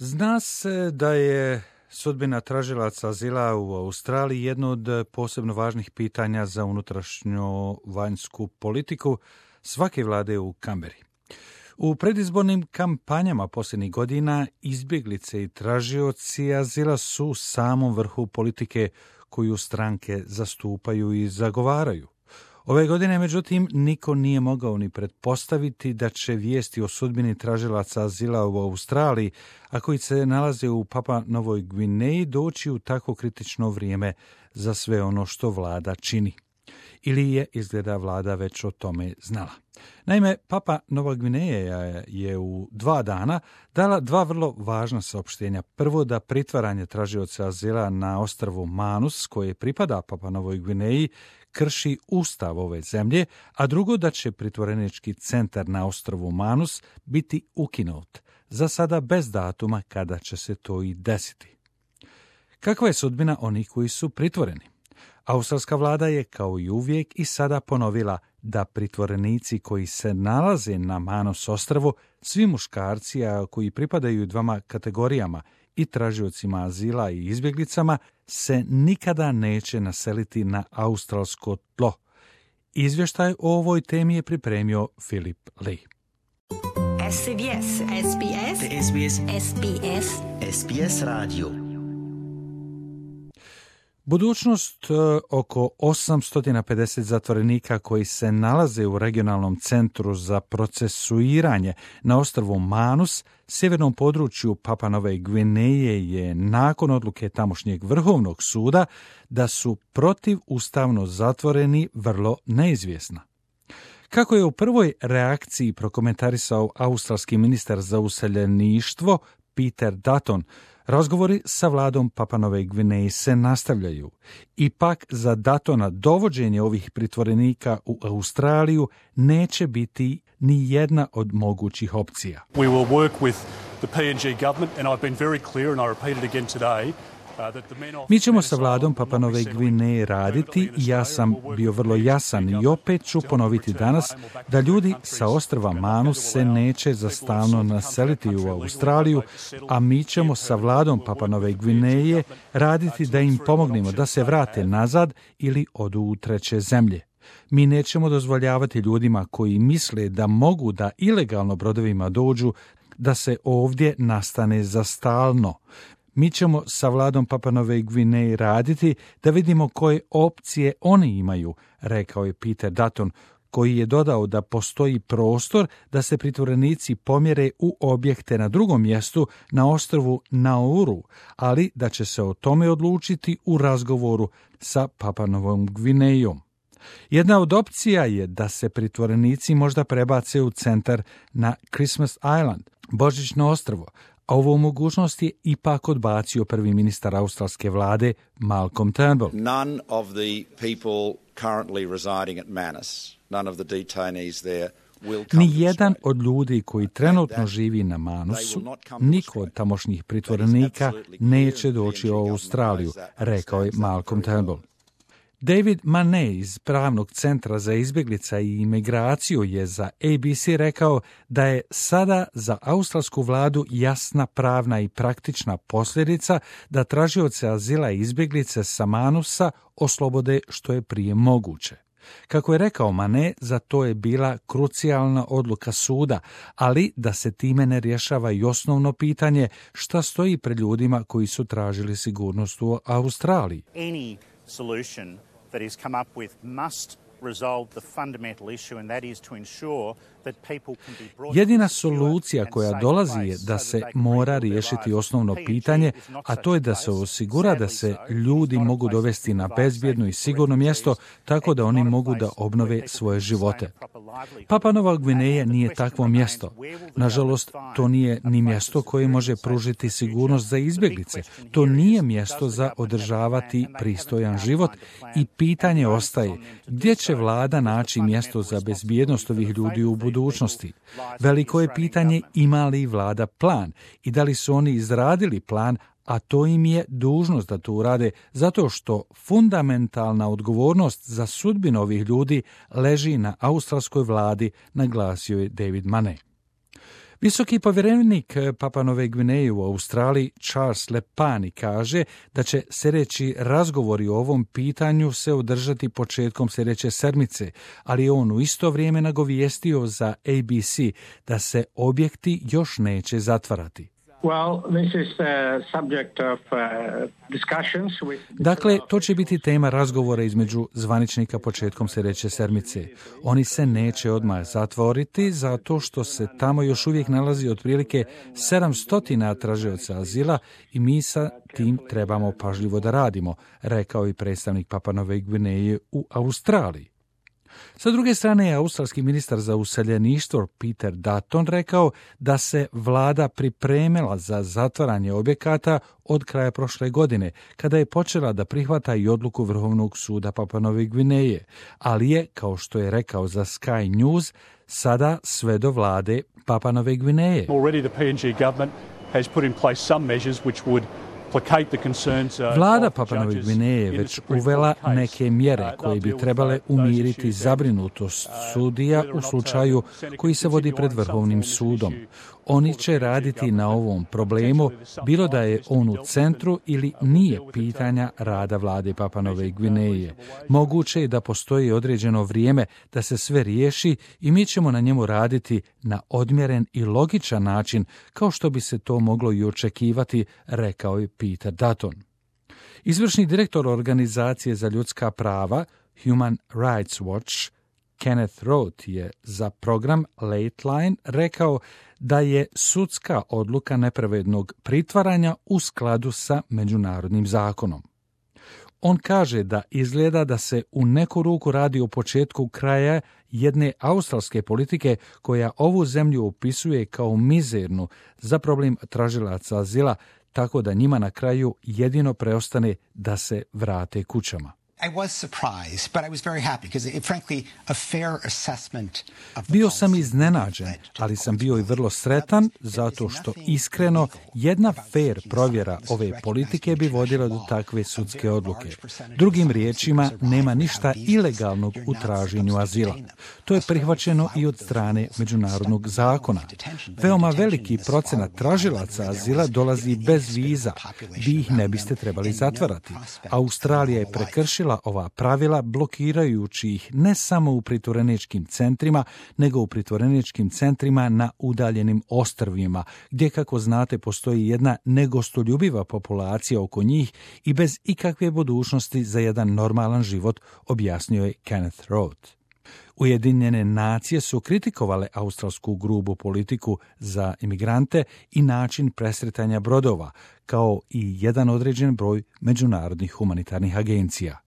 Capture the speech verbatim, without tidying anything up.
Zna se da je sudbina tražilaca azila u Australiji jedno od posebno važnih pitanja za unutrašnju vanjsku politiku svake vlade u Kamberi. U predizbornim kampanjama posljednjih godina izbjeglice i tražioci azila su u samom vrhu politike koju stranke zastupaju i zagovaraju. Ove godine, međutim, niko nije mogao ni pretpostaviti da će vijesti o sudbini tražilaca azila u Australiji, a koji se nalaze u Papua Novoj Gvineji, doći u tako kritično vrijeme za sve ono što vlada čini. Ili je, izgleda, vlada već o tome znala. Naime, Papua Nova Gvineja je u dva dana dala dva vrlo važna saopštenja. Prvo, da pritvaranje tražioca azila na ostrvu Manus, koje pripada Papua Novoj Gvineji, krši ustav ove zemlje, a drugo, da će pritvorenički centar na ostrvu Manus biti ukinut, za sada bez datuma kada će se to i desiti. Kakva je sudbina onih koji su pritvoreni? Australska vlada je kao i uvijek i sada ponovila da pritvorenici koji se nalaze na Manus ostrvu, svi muškarci, a koji pripadaju dvama kategorijama, i tražiocima azila i izbjeglicama, se nikada neće naseliti na australsko tlo. Izvještaj o ovoj temi je pripremio Filip Lee. S B S, S B S, S B S, S B S, S B S radio. Budućnost oko osamsto pedeset zatvorenika koji se nalaze u regionalnom centru za procesuiranje na ostrvu Manus, sjevernom području Papua Nove Gvineje, je nakon odluke tamošnjeg vrhovnog suda da su protivustavno zatvoreni vrlo neizvjesna. Kako je u prvoj reakciji prokomentarisao australski ministar za useljeništvo Peter Dutton, razgovori sa vladom Papua Nove Gvineje se nastavljaju. Ipak za Duttona dovođenje ovih pritvorenika u Australiju neće biti ni jedna od mogućih opcija. We will work with the P N G government, and I've been very clear, and I repeat it again today. Mi ćemo sa vladom Papua Nove Gvineje raditi i ja sam bio vrlo jasan i opet ću ponoviti danas da ljudi sa ostrva Manus se neće za stalno naseliti u Australiju, a mi ćemo sa vladom Papua Nove Gvineje raditi da im pomognemo da se vrate nazad ili odu u treće zemlje. Mi nećemo dozvoljavati ljudima koji misle da mogu da ilegalno brodovima dođu da se ovdje nastane za stalno. Mi ćemo sa vladom Papua Nove Gvineje raditi da vidimo koje opcije oni imaju, rekao je Peter Dutton, koji je dodao da postoji prostor da se pritvorenici pomjere u objekte na drugom mjestu na ostrvu Nauru, ali da će se o tome odlučiti u razgovoru sa Papua Novom Gvinejom. Jedna od opcija je da se pritvorenici možda prebace u centar na Christmas Island, Božićno ostrvo, a ovu mogućnost je ipak odbacio prvi ministar australske vlade Malcolm Turnbull. None of the people currently residing at Manus, none of the detainees there will come. Ni jedan od ljudi koji trenutno živi na Manusu, niko od tamošnjih pritvorenika neće doći u Australiju, rekao je Malcolm Turnbull. David Mane iz Pravnog centra za izbjeglica i imigraciju je za A B C rekao da je sada za australsku vladu jasna pravna i praktična posljedica da tražioce azila i izbjeglice sa Manusa oslobode što je prije moguće. Kako je rekao Mane, za to je bila krucijalna odluka suda, ali da se time ne rješava i osnovno pitanje šta stoji pred ljudima koji su tražili sigurnost u Australiji. Any solution that is come up with must resolve the fundamental issue, and that is to ensure that people can be brought. Jedina solucija koja dolazi je da se mora riješiti osnovno pitanje, a to je da se osigura da se ljudi mogu dovesti na bezbjedno i sigurno mjesto tako da oni mogu da obnove svoje živote. Papua Nova Gvineja nije takvo mjesto. Nažalost, to nije ni mjesto koje može pružiti sigurnost za izbjeglice. To nije mjesto za održavati pristojan život i pitanje ostaje gdje će vlada naći mjesto za bezbjednost ovih ljudi u budućnosti. Veliko je pitanje ima li vlada plan i da li su oni izradili plan, a to im je dužnost da to urade, zato što fundamentalna odgovornost za sudbinu ovih ljudi leži na australskoj vladi, naglasio je David Mane. Visoki povjerenik Papua Nove Gvineje u Australiji Charles Lepani kaže da će sljedeći razgovori o ovom pitanju se održati početkom sljedeće sedmice, ali je on u isto vrijeme nagovijestio za A B C da se objekti još neće zatvarati. Well, this is the subject of uh, discussions with... Dakle, to će biti tema razgovora između zvaničnika početkom sljedeće sedmice. Oni se neće odmah zatvoriti zato što se tamo još uvijek nalazi otprilike sedamsto tražioca azila i mi sa tim trebamo pažljivo da radimo, rekao i predstavnik Papua Nove Gvineje u Australiji. Sa druge strane je australski ministar za useljeništvo Peter Dutton rekao da se vlada pripremila za zatvaranje objekata od kraja prošle godine, kada je počela da prihvata i odluku Vrhovnog suda Papua Nove Gvineje, ali je, kao što je rekao za Sky News, sada sve do vlade Papua Nove Gvineje. Already the P N G government has put in place some measures which would Vlada Papua Nove Gvineje je već uvela neke mjere koje bi trebale umiriti zabrinutost sudija u slučaju koji se vodi pred Vrhovnim sudom. Oni će raditi na ovom problemu, bilo da je on u centru ili nije pitanja rada vlade Papua Nove Gvineje. Moguće je da postoji određeno vrijeme da se sve riješi i mi ćemo na njemu raditi na odmjeren i logičan način, kao što bi se to moglo i očekivati, rekao je Peter Dutton. Izvršni direktor Organizacije za ljudska prava Human Rights Watch Kenneth Roth je za program Lateline rekao da je sudska odluka nepravednog pritvaranja u skladu sa međunarodnim zakonom. On kaže da izgleda da se u neku ruku radi o početku kraja jedne australske politike koja ovu zemlju opisuje kao mizernu za problem tražilaca azila, tako da njima na kraju jedino preostane da se vrate kućama. Bio sam iznenađen, ali sam bio i vrlo sretan zato što iskreno jedna fair provjera ove politike bi vodila do takve sudske odluke. Drugim riječima, nema ništa ilegalnog u traženju azila. To je prihvaćeno i od strane međunarodnog zakona. Veoma veliki procenat tražilaca azila dolazi bez viza. Vi ih ne biste trebali zatvarati. Australija je prekršila ova pravila blokirajući ih ne samo u pritvoreničkim centrima, nego u pritvoreničkim centrima na udaljenim ostrvima, gdje, kako znate, postoji jedna negostoljubiva populacija oko njih i bez ikakve budućnosti za jedan normalan život, objasnio je Kenneth Roth. Ujedinjene nacije su kritikovale australsku grubu politiku za imigrante i način presretanja brodova, kao i jedan određen broj međunarodnih humanitarnih agencija.